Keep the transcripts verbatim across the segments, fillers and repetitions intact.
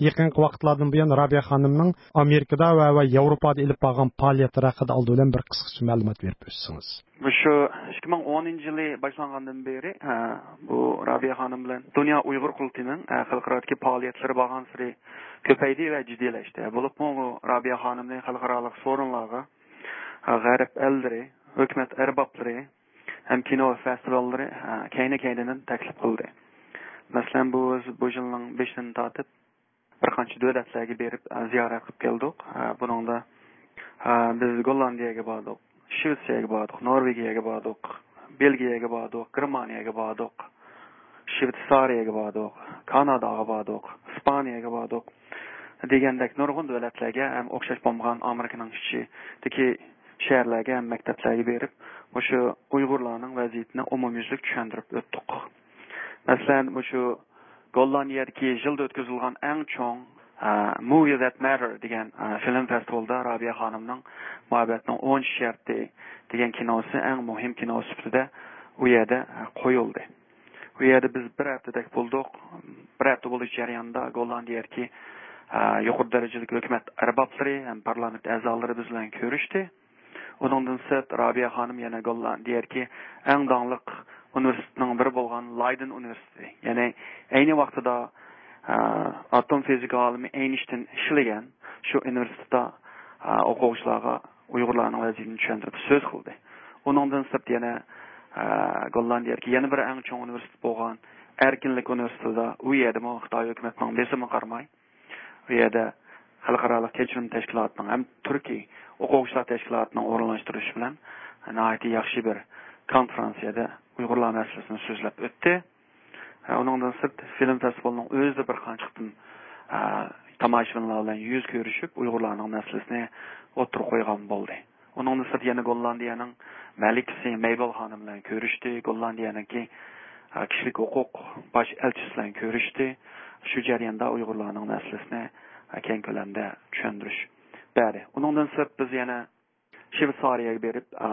يېقىنقى ۋاقىتلاردىن بۇيان رابىيە خانىمنىڭ ئامېرىكىدا ۋە، ۋە ياۋروپادا ئېلىپ بارغان پائالىيەتلىرى ھەققىدە ئالدى بىلەن بىر قىسقىچە مەلۇمات بېرىپ ئۆتسىڭىز. مۇشۇ ئىككى مىڭ ئونىنچى يىلى باشلانغاندىن بېرى، ھە، بۇ رابىيە خانىم بىلەن دۇنيا ئۇيغۇر قۇرۇلتىيىنىڭ، ھە، خەلقئارادىكى پائالىيەتلىرى بارغانسېرى كۆپەيدى ۋە جىددىيلەشتى. بولۇپمۇ بۇ رابىيە خانىمنى خەلقئارالىق سورۇنلارغا، ھە، غەرب ئەللىرى، ھۆكۈمەت ئەربابلىرى ھەم كىنو فېستىۋاللىرى، ھە، كەينى-كەينىدىن تەكلىپ قىلدى. مەسىلەن، بۇ، بۇ يىلنىڭ بېشىدىن تارتىپ بىر قانچە دۆلەتلەرگە بېرىپ، ئە، زىيارەت قىلىپ كەلدۇق. ئە، بۇنىڭدا، ئە، بىز گوللاندىيەگە باردۇق، شىۋېتسىيەگە باردۇق، نورۋېگىيەگە باردۇق، بېلگىيەگە باردۇق، گېرمانىيەگە باردۇق، شىۋېتسارىيەگە باردۇق، كاناداغا باردۇق، ئىسپانىيەگە باردۇق دېگەندەك نۇرغۇن دۆلەتلەرگە ھەم ئوخشاش بولمىغان ئامېرىكىنىڭ ئىچىدىكى شەھەرلەرگە ھەم مەكتەپلەرگە بېرىپ، مۇشۇ ئۇيغۇرلارنىڭ ۋەزىيىتىنى ئومۇميۈزلۈك چۈشەندۈرۈپ ئۆتتۇق. مەسىلەن، مۇشۇ گوللاندىيەدىكى يىلدا ئۆتكۈزۈلگەن ئەڭ چوڭ، ئە، Movie That Matter دېگەن، ئە، فىلىم فېستىۋالىدا رابىيە خانىمنىڭ مۇھەببەتنىڭ ئون شەرتى دېگەن كىنوسى ئەڭ مۇھىم كىنو سۈپىتىدە ئۇ يەردە، ئە، قويۇلدى. ئۇ يەردە بىز بىر ھەپتىدەك بولدۇق. بىر ھەپتە بولۇش جەريانىدا گوللاندىيەدىكى، ئە، يۇقىرى دەرىجىلىك ھۆكۈمەت ئەربابلىرى ھەم پارلامېنت ئەزالىرى بىز بىلەن كۆرۈشتى. ئۇنىڭدىن سىرت، رابىيە خانىم يەنە گوللاندىيەدىكى ئەڭ داڭلىق ئۇنىۋېرسىتېتنىڭ بىرى بولغان لايدېن ئۇنىۋېرسىتېتى، يەنى ئەينى ۋاقتىدا، ئە، ئاتوم فىزىكا ئالىمى ئەينشتىن ئىشلىگەن شۇ ئۇنىۋېرسىتېتتا، ئە، ئوقۇغۇچىلارغا ئۇيغۇرلارنىڭ ۋەزىيىتىنى چۈشەندۈرۈپ سۆز قىلدى. ئۇنىڭدىن سىرت يەنە، ئە، گوللاندىيەدىكى يەنە بىر ئەڭ چوڭ ئۇنىۋېرسىتېت بولغان ئەركىنلىك ئۇنىۋېرسىتېتىدا، ئۇ يەردىمۇ خىتاي ھۆكۈمىتىنىڭ بېسىمىغا قارىماي، ئۇ يەردە خەلقئارالىق كەچۈرۈم تەشكىلاتىنىڭ ھەم تۈركىي ئوقۇغۇچىلار تەشكىلاتىنىڭ ئورۇنلاشتۇرۇشى بىلەن ناھايىتى ياخشى بىر كونفېرانسىيەدە ئۇيغۇرلار مەسىلىسىنى سۆزلەپ ئۆتتى. ئۇنىڭدىن سىرت، فىلىم فېستىۋالىنىڭ ئۆزىدە بىر قانچە قېتىم، ئە، تاماشىبىنلار بىلەن يۈز كۆرۈشۈپ، ئۇيغۇرلارنىڭ مەسىلىسىنى ئوتتۇرىغا قويغان بولدى. ئۇنىڭدىن سىرت يەنە گوللاندىيەنىڭ مەلىكىسى مەيبال خانىم بىلەن كۆرۈشتى. گوللاندىيەنىڭكى، ئە، كىشىلىك ھوقۇق باش ئەلچىسى بىلەن كۆرۈشتى. شۇ جەرياندا ئۇيغۇرلارنىڭ مەسىلىسىنى، ئە، كەڭ كۆلەمدە چۈشەندۈرۈش بەردى. ئۇنىڭدىن سىرت بىز يەنە شۋېتسارىيەگە بېرىپ، ئا،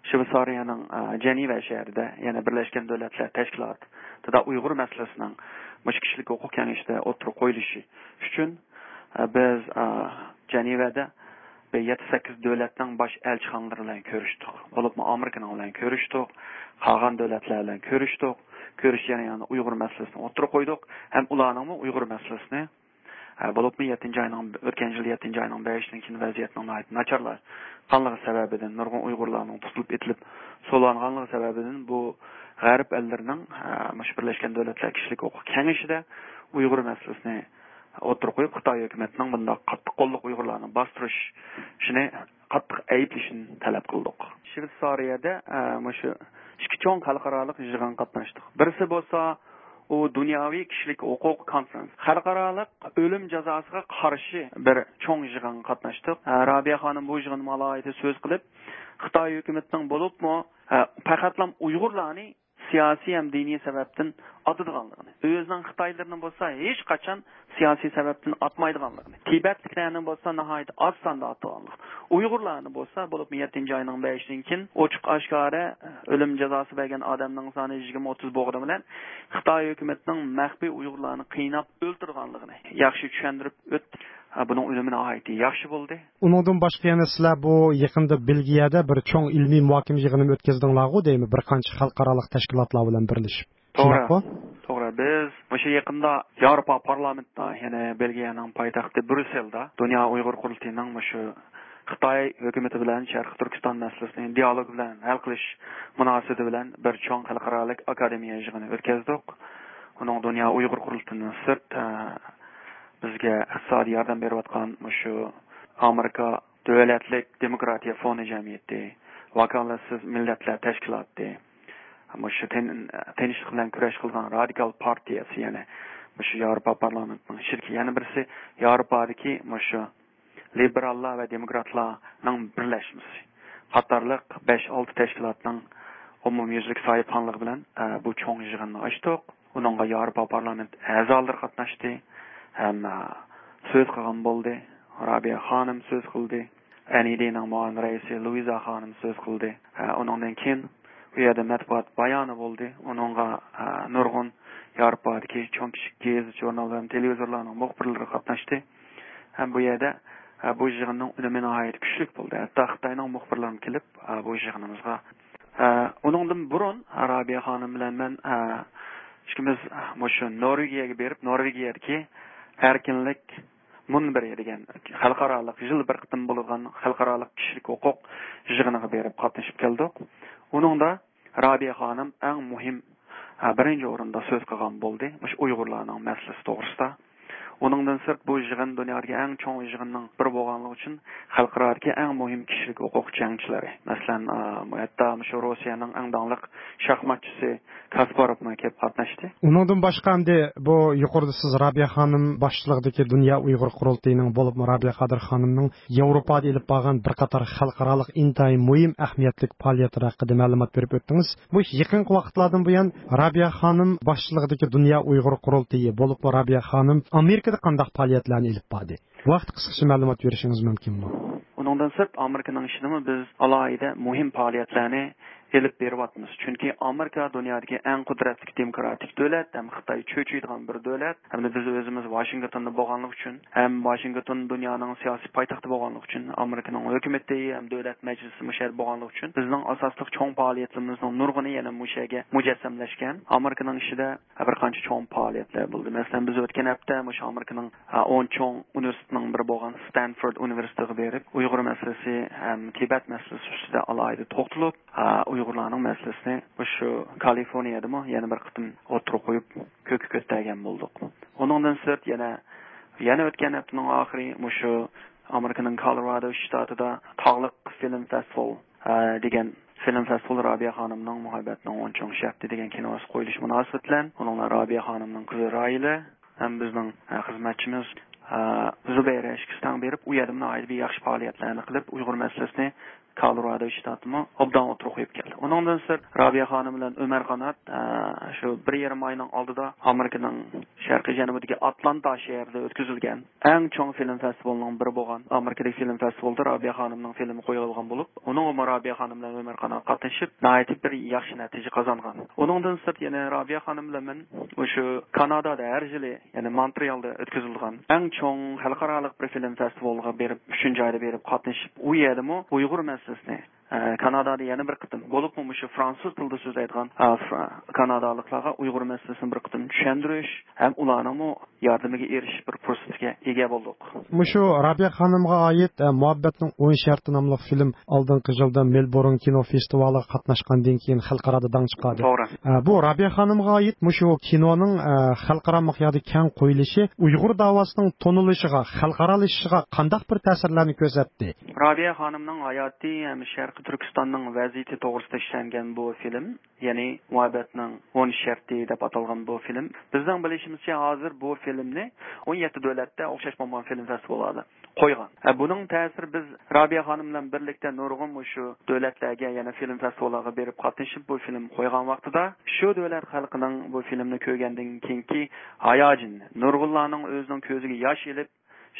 شۋېتسارىيەنىڭ، ئا، جەنىۋە شەھىرىدە، يەنى بىرلەشكەن دۆلەتلەر تەشكىلاتىدا ئۇيغۇر مەسىلىسىنىڭ مۇشۇ كىشىلىك ھوقۇق كېڭىشىدە ئوتتۇرىغا قويۇلۇشى ئۈچۈن، ئا، بىز، ئا، جەنىۋەدە بىر يەتتە سەككىز دۆلەتنىڭ باش ئەلچىخانىلىرى بىلەن كۆرۈشتۇق. بولۇپمۇ ئامېرىكىنىڭ بىلەن كۆرۈشتۇق، قالغان دۆلەتلەر بىلەن كۆرۈشتۇق. كۆرۈش جەريانىدا ئۇيغۇر مەسىلىسىنى ئوتتۇرىغا قويدۇق ھەم ئۇلارنىڭمۇ ئۇيغۇر مەسىلىسىنى ھە، بولۇپمۇ يەتتىنچى ئاينىڭ، ئۆتكەن يىل يەتتىنچى ئاينىڭ بەشىدىن كېيىن ۋەزىيەتنىڭ ناھايىتى ناچارلاشقانلىقى سەۋەبىدىن، نۇرغۇن ئۇيغۇرلارنىڭ تۇتۇلۇپ ئېتىلىپ سولانغانلىقى سەۋەبىدىن بۇ غەرب ئەللىرىنىڭ، ھە، مۇشۇ بىرلەشكەن دۆلەتلەر كىشىلىك ھوقۇق كېڭىشىدە ئۇيغۇر مەسىلىسىنى ئوتتۇرىغا قويۇپ، خىتاي ھۆكۈمىتىنىڭ بۇنداق قاتتىق قوللۇق ئۇيغۇرلارنى باستۇرۇشىنى قاتتىق ئەيىبلىشىنى تەلەپ قىلدۇق. شۋېتسارىيەدە، ئە، مۇشۇ ئىككى چوڭ خەلقئارالىق يىغىنغا قاتناشتۇق. بىرسى بولسا ئۇ دۇنياۋى كىشىلىك ھوقۇق كونفېرانس، خەلقئارالىق ئۆلۈم جازاسىغا قارشى بىر چوڭ يىغىنغا قاتناشتۇق. ئە، رابىيە خانىم بۇ يىغىندا ئالاھىدە سۆز قىلىپ، خىتاي ھۆكۈمىتىنىڭ بولۇپمۇ، ئە، پەقەتلا ئۇيغۇرلارنى سىياسىي ھەم دىنىي سەۋەبتىن ئاتىدىغانلىقىنى، ئۆزىنىڭ خىتايلىرىنى بولسا ھېچقاچان سىياسىي سەۋەبتىن ئاتمايدىغانلىقىنى، تىبەتلىكلەرنى بولسا ناھايىتى ئاز ساندا ئاتىدىغانلىقىنى، ئۇيغۇرلارنى بولسا، بولۇپمۇ يەتتىنچى ئاينىڭ بەشىدىن كېيىن ئوچۇق ئاشكارا ئۆلۈم جازاسى بەرگەن ئادەمنىڭ سانى يىگىرمە ئوتتۇز بولغىنى بىلەن، خىتاي ھۆكۈمىتىنىڭ مەخپىي ئۇيغۇرلارنى قىيناپ ئۆلتۈرىدىغانلىقىنى ياخشى چۈشەندۈرۈپ ئۆتتى. ھە، بۇنىڭ ئۈنۈمى ناھايىتى ياخشى بولدى. ئۇنىڭدىن باشقا يەنە سىلەر بۇ يېقىندا بېلگىيەدە بىر چوڭ ئىلمىي مۇھاكىمە يىغىنىمۇ ئۆتكۈزدۈڭلارغۇ دەيمەن، بىر قانچە خەلقئارالىق تەشكىلاتلار بىلەن بىرلىشىپ. توغرا. شۇنداققۇ؟ توغرا. بىز مۇشۇ يېقىندا ياۋروپا پارلامېنتىدا، يەنى بېلگىيەنىڭ پايتەختى بريۇسسېلدا دۇنيا ئۇيغۇر قۇرۇلتىيىنىڭ مۇشۇ خىتاي ھۆكۈمىتى بىلەن شەرقىي تۈركىستان مەسىلىسىنى دىئالوگ بىلەن ھەل قىلىش مۇناسىۋىتى بىلەن بىر چوڭ خەلقئارالىق ئاكادېمىيە يىغىنى ئۆتكۈزدۇق. ئۇنىڭ دۇنيا ئۇيغۇر قۇرۇلتىيىدىن سىرت، ئە، بىزگە ئىقتىسادىي ياردەم بېرىۋاتقان مۇشۇ ئامېرىكا دۆلەتلىك دېموكراتىيە فوندى جەمئىيىتى، ۋاكالەتسىز مىللەتلەر تەشكىلاتى، مۇشۇ تىن-، تىنچلىق بىلەن كۈرەش قىلىدىغان رادىكال پارتىيەسى، يەنى مۇشۇ ياۋروپا پارلامېنتىنىڭ شىركىتى، يەنە بىرسى ياۋروپادىكى مۇشۇ لىبېراللار ۋە دېموكراتلارنىڭ بىرلەشمىسى قاتارلىق بەش-ئالتە تەشكىلاتنىڭ ئومۇميۈزلۈك ساھىبخانلىقى بىلەن، ئە، بۇ چوڭ يىغىننى ئاچتۇق. ئۇنىڭغا ياۋروپا پارلامېنت ئەزالىرى قاتناشتى ھەم، ئە، سۆز قىلغان بولدى. رابىيە خانىم سۆز قىلدى. ئەن ئى دىنىڭ مۇئاۋىن رەئىسى لۇئىزا خانىم سۆز قىلدى. ئە، ئۇنىڭدىن كېيىن ئۇ يەردە مەتبۇئات بايانى بولدى. ئۇنىڭغا، ئە، نۇرغۇن ياۋروپادىكى چوڭ كىچىك گېزىت، ژۇرنال ۋە تېلېۋىزورلارنىڭ مۇخبىرلىرى قاتناشتى. ھەم بۇ يەردە، ئە، بۇ يىغىننىڭ ئۈنۈمى ناھايىتى كۈچلۈك بولدى. ھەتتا خىتاينىڭ مۇخبىرلىرىمۇ كېلىپ، ئە، بۇ يىغىنىمىزغا، ئە، ئۇنىڭدىن بۇرۇن رابىيە خانىم بىلەن مەن، ئە، ئىككىمىز مۇشۇ نورۋېگىيەگە بېرىپ، نورۋېگىيەدىكى ئەركىنلىك مۇنبىرى دېگەن خەلقئارالىق، يىلدا بىر قېتىم بولىدىغان خەلقئارالىق كىشىلىك ھوقۇق يىغىنىغا بېرىپ قاتنىشىپ كەلدۇق. ئۇنىڭدا رابىيە خانىم ئەڭ مۇھىم، ھە، بىرىنچى ئورۇندا سۆز قىلغان بولدى، مۇشۇ ئۇيغۇرلارنىڭ مەسىلىسى توغرىسىدا. ئۇنىڭدىن سىرت، بۇ يىغىن دۇنيادىكى ئەڭ چوڭ يىغىننىڭ بىرى بولغانلىقى ئۈچۈن، خەلقئارادىكى ئەڭ مۇھىم كىشىلىك ھوقۇق جەڭچىلىرى، مەسىلەن، ئا، ھەتتا مۇشۇ روسىيەنىڭ ئەڭ داڭلىق شاھماتچىسى كاسپاروفمۇ كېلىپ قاتناشتى. ئۇنىڭدىن باشقا، ئەمدى بۇ يۇقىرىدا سىز رابىيە خانىم باشچىلىقىدىكى دۇنيا ئۇيغۇر قۇرۇلتىيىنىڭ، بولۇپمۇ رابىيە قادىر خانىمنىڭ ياۋروپادا ئېلىپ بارغان بىر قاتار خەلقئارالىق ئىنتايىن مۇھىم ئەھمىيەتلىك پائالىيەتلىرى ھەققىدە مەلۇمات بېرىپ ئۆتتىڭىز. مۇشۇ يېقىنقى ۋاقىتلاردىن بۇيان رابىيە خانىم باشچىلىقىدىكى دۇنيا ئۇيغۇر قۇرۇلتىيى، بولۇپمۇ رابىيە خانىم ئامېرىكىدا قانداق پائالىيەتلەرنى ئېلىپ باردى؟ بۇ ھەقتە قىسقىچە مەلۇمات بېرىشىڭىز مۇمكىنمۇ؟ ئۇنىڭدىن سىرت، ئامېرىكىنىڭ ئىچىدىمۇ بىز ئالاھىدە مۇھىم پائالىيەتلەرنى ئېلىپ بېرىۋاتىمىز. چۈنكى ئامېرىكا دۇنيادىكى ئەڭ قۇدرەتلىك دېموكراتىك دۆلەت ھەم خىتاي چۆچۈيدىغان بىر دۆلەت. ھەمدە بىز ئۆزىمىز ۋاشىنگتوندا بولغانلىقى ئۈچۈن ھەم ۋاشىنگتون دۇنيانىڭ سىياسىي پايتەختى بولغانلىقى ئۈچۈن، ئامېرىكىنىڭ ھۆكۈمىتى ھەم دۆلەت مەجلىسى مۇشۇ يەردە بولغانلىقى ئۈچۈن، بىزنىڭ ئاساسلىق چوڭ پائالىيەتلىرىمىزنىڭ نۇرغۇنى يەنە مۇشۇ يەرگە مۇجەسسەملەشكەن. ئامېرىكىنىڭ ئىچىدە بىر قانچە چوڭ پائالىيەتلەر بولدى. مەسىلەن، بىز ئۆتكەن ھەپتە مۇشۇ ئامېرىكىنىڭ، ئا، ئون چوڭ ئۇنىۋېرسىتېتىنىڭ بىرى بولغان ستانفورد ئۇنىۋېرسىتېتىغا بېرىپ، ئۇيغۇر مەسىلىسى ھەم تىبەت مەسىلىسى ئۈستىدە ئالاھىدە توختىلىپ، ئا، ئۇيغۇرلارنىڭ مەسىلىسىنى مۇشۇ كالىفورنىيەدىمۇ يەنە بىر قېتىم ئوتتۇرىغا قويۇپ، كۆككە كۆتەرگەن بولدۇق. ئۇنىڭدىن سىرت، يەنە، يەنە ئۆتكەن ھەپتىنىڭ ئاخىرى مۇشۇ ئامېرىكىنىڭ كولورادو شتاتىدا تاغلىق فىلىم فېستىۋال، ئا، دېگەن فىلىم فېستىۋال رابىيە خانىمنىڭ مۇھەببەتنىڭ ئون چوڭ شەرتى دېگەن كىنوسى قويۇلۇشى مۇناسىۋىتى بىلەن، ئۇنىڭدا رابىيە خانىمنىڭ قىزى راھىلە ھەم بىزنىڭ، ئە، خىزمەتچىمىز، ئە، زۇبەيرە ئىككىسى تەڭ بېرىپ، ئۇ يەردىمۇ ناھايىتى بىر ياخشى پائالىيەتلەرنى قىلىپ، ئۇيغۇر مەسىلىسىنى كولورادو شتاتىمۇ ئوبدان ئوتتۇرىغا قويۇپ كەلدى. ئۇنىڭدىن سىرت، رابىيە خانىم بىلەن ئۆمەر قانات، ئە، شۇ بىر يېرىم ئاينىڭ ئالدىدا ئامېرىكىنىڭ شەرقىي جەنۇبىدىكى ئاتلانتا شەھىرىدە ئۆتكۈزۈلگەن ئەڭ چوڭ فىلىم فېستىۋالىنىڭ بىرى بولغان ئامېرىكىدىكى فىلىم فېستىۋالىدا رابىيە خانىمنىڭ فىلىمى قويۇلغان بولۇپ، ئۇنىڭغىمۇ رابىيە خانىم بىلەن ئۆمەر قانات قاتنىشىپ، ناھايىتى بىر ياخشى نەتىجە قازانغان. ئۇنىڭدىن سىرت، يەنە رابىيە خانىم بىلەن مەن مۇشۇ كانادادا ھەر يىلى، يەنى مونترېئالدا ئۆتكۈزۈلىدىغان ئەڭ چوڭ خەلقئارالىق بىر فىلىم فېستىۋالىغا بېرىپ، ئۈچىنچى ئايدا بېرىپ قاتنىشىپ، ئۇ يەردىمۇ ئۇيغۇر مەسىلىسىنى، ئە، كانادادا يەنە بىر قېتىم، بولۇپمۇ مۇشۇ فرانسۇز تىلىدا سۆزلەيدىغان، ئە، فرا-، كانادالىقلارغا ئۇيغۇر مەسىلىسىنى بىر قېتىم چۈشەندۈرۈش ھەم ئۇلارنىڭمۇ ياردىمىگە ئېرىشىش بىر پۇرسىتىگە ئىگە بولدۇق. مۇشۇ رابىيە خانىمغا ئائىت، ئە، مۇھەببەتنىڭ ئون شەرتى ناملىق فىلىم ئالدىنقى يىلدا مېلبورن كىنو فېستىۋالىغا قاتناشقاندىن كېيىن خەلقئارادا داڭ چىقاردى. توغرا. ئە، بۇ رابىيە خانىمغا ئائىت مۇشۇ كىنونىڭ، ئە، خەلقئارا مىقياستا كەڭ قويۇلۇشى ئۇيغۇر داۋاسىنىڭ تونۇلۇشىغا، خەلقئارالىشىشىغا قانداق بىر تەسىرلەرنى كۆرسەتتى؟ رابىيە خانىمنىڭ ھاياتى ھەم شەرقىي تۈركىستاننىڭ ۋەزىيىتى توغرىسىدا ئىشلەنگەن بۇ فىلىم، يەنى مۇھەببەتنىڭ ئون شەرتى دەپ ئاتالغان بۇ فىلىم، بىزنىڭ بىلىشىمىزچە، ھازىر بۇ فىلىمنى ئون يەتتە دۆلەتتە ئوخشاش بولمىغان فىلىم فېستىۋاللاردا قويغان. ھە، بۇنىڭ تەسىرى، بىز رابىيە خانىم بىلەن بىرلىكتە نۇرغۇن مۇشۇ دۆلەتلەرگە، يەنە فىلىم فېستىۋاللارغا بېرىپ قاتنىشىپ، بۇ فىلىم قويغان ۋاقتىدا، شۇ دۆلەت خەلقىنىڭ بۇ فىلىمنى كۆرگەندىن كېيىنكى ھاياجىنى، نۇرغۇنلارنىڭ ئۆزىنىڭ كۆزىگە ياش ئېلىپ،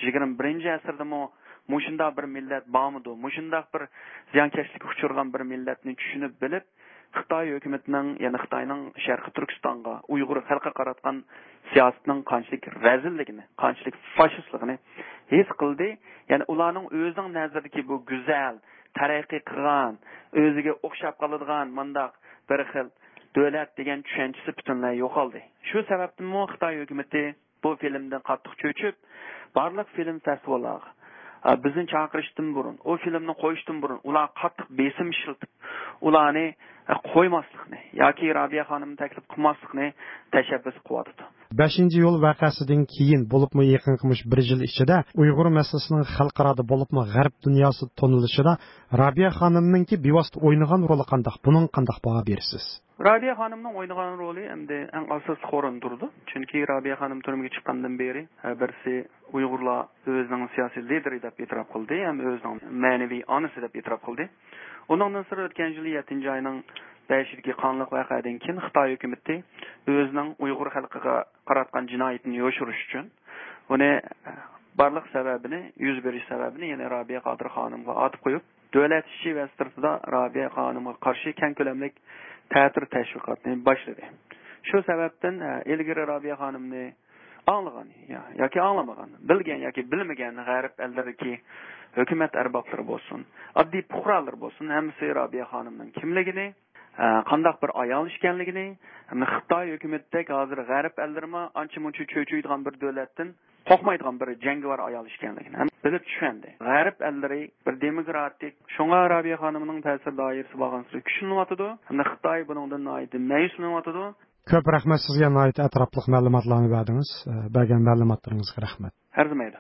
يىگىرمە بىرىنچى ئەسىردىمۇ مۇشۇنداق بىر مىللەت بارمىدۇ، مۇشۇنداق بىر زىيانكەشلىككە ئۇچرىغان بىر مىللەتنى چۈشىنىپ بىلىپ، خىتاي ھۆكۈمىتىنىڭ، يەنى خىتاينىڭ شەرقىي تۈركىستانغا، ئۇيغۇر خەلقىگە قاراتقان سىياسىتىنىڭ قانچىلىك رەزىللىكىنى، قانچىلىك فاشىستلىقىنى ھېس قىلدى. يەنى ئۇلارنىڭ ئۆزىنىڭ نەزىرىدىكى بۇ گۈزەل، تەرەققىي قىلغان، ئۆزىگە ئوخشاپ قالىدىغان مۇنداق بىر خىل دۆلەت دېگەن چۈشەنچىسى پۈتۈنلەي يوقالدى. شۇ سەۋەبتىنمۇ خىتاي ھۆكۈمىتى بۇ فىلىمدىن قاتتىق چۆچۈپ، بارلىق فىلىم فېستىۋاللارغا، ئا، بىزنى چاقىرىشتىن بۇرۇن، ئۇ فىلىمنى قويۇشتىن بۇرۇن ئۇلارغا قاتتىق بېسىم ئىشلىتىپ، ئۇلارنى، ئا، قويماسلىقنى ياكى رابىيە خانىمنى تەكلىپ قىلماسلىقنى تەشەببۇس قىلىۋاتىدۇ. بەشىنچى ئىيۇل ۋەقەسىدىن كېيىن، بولۇپمۇ يېقىنقى مۇشۇ بىر يىل ئىچىدە ئۇيغۇر مەسىلىسىنىڭ خەلقئارادا، بولۇپمۇ غەرب دۇنياسىدا تونۇلۇشىدا رابىيە خانىمنىڭكى بىۋاسىتە ئوينىغان رولى قانداق؟ بۇنىڭغا قانداق باھا بېرىسىز؟ رابىيە خانىمنىڭ ئوينىغان رولى ئەمدى ئەڭ ئاساسلىق ئورۇندا تۇرىدۇ. چۈنكى رابىيە خانىم تۈرمىگە چىققاندىن بېرى، ھە، بىرسى ئۇيغۇرلار ئۆزىنىڭ سىياسىي لىدېرى دەپ ئېتىراپ قىلدى ھەم ئۆزىنىڭ مەنىۋى ئانىسى دەپ ئېتىراپ قىلدى. ئۇنىڭدىن سىرت، ئۆتكەن يىلى يەتتىنچى ئاينىڭ بەشىدىكى قانلىق ۋەقەدىن كېيىن خىتاي ھۆكۈمىتى ئۆزىنىڭ ئۇيغۇر خەلقىگە قاراتقان جىنايىتىنى يوشۇرۇش ئۈچۈن، ئۇنى، بارلىق سەۋەبىنى، يۈز بېرىش سەۋەبىنى يەنە رابىيە قادىر خانىمغا ئاتىپ قويۇپ، دۆلەت ئىچى ۋە سىرتىدا رابىيە خانىمغا قارشى كەڭ كۆلەملىك تەتۈر تەشۋىقاتنى باشلىدى. شۇ سەۋەبتىن، ئە، ئىلگىرى رابىيە خانىمنى ئاڭلىغان يا-، ياكى ئاڭلىمىغان، بىلگەن ياكى بىلمىگەن غەرب ئەللىرىدىكى ھۆكۈمەت ئەربابلىرى بولسۇن، ئاددىي پۇقرالىرى بولسۇن، ھەممىسى رابىيە خانىمنىڭ كىملىكىنى، ئە، قانداق بىر ئايال ئىكەنلىكىنى، ھەمدە خىتاي ھۆكۈمىتىدەك ھازىر غەرب ئەللىرىمۇ ئانچە-مۇنچە چۆچۈيدىغان بىر دۆلەتتىن قورقمايدىغان بىر جەڭگىۋار ئايال ئىكەنلىكىنى ھەم بىلىپ چۈشەندى. غەرب ئەللىرى بىر دېموكراتىك، شۇڭا رابىيە خانىمنىڭ تەسىر دائىرىسى بارغانسېرى كۈچلىنىۋاتىدۇ ھەمدە خىتاي بۇنىڭدىن ناھايىتى مەيۈسلىنىۋاتىدۇ. كۆپ رەھمەت سىزگە، ناھايىتى ئەتراپلىق مەلۇماتلارنى بەردىڭىز. ئە، بەرگەن مەلۇماتلىرىڭىزغا رەھمەت. ئەرزىمەيدۇ.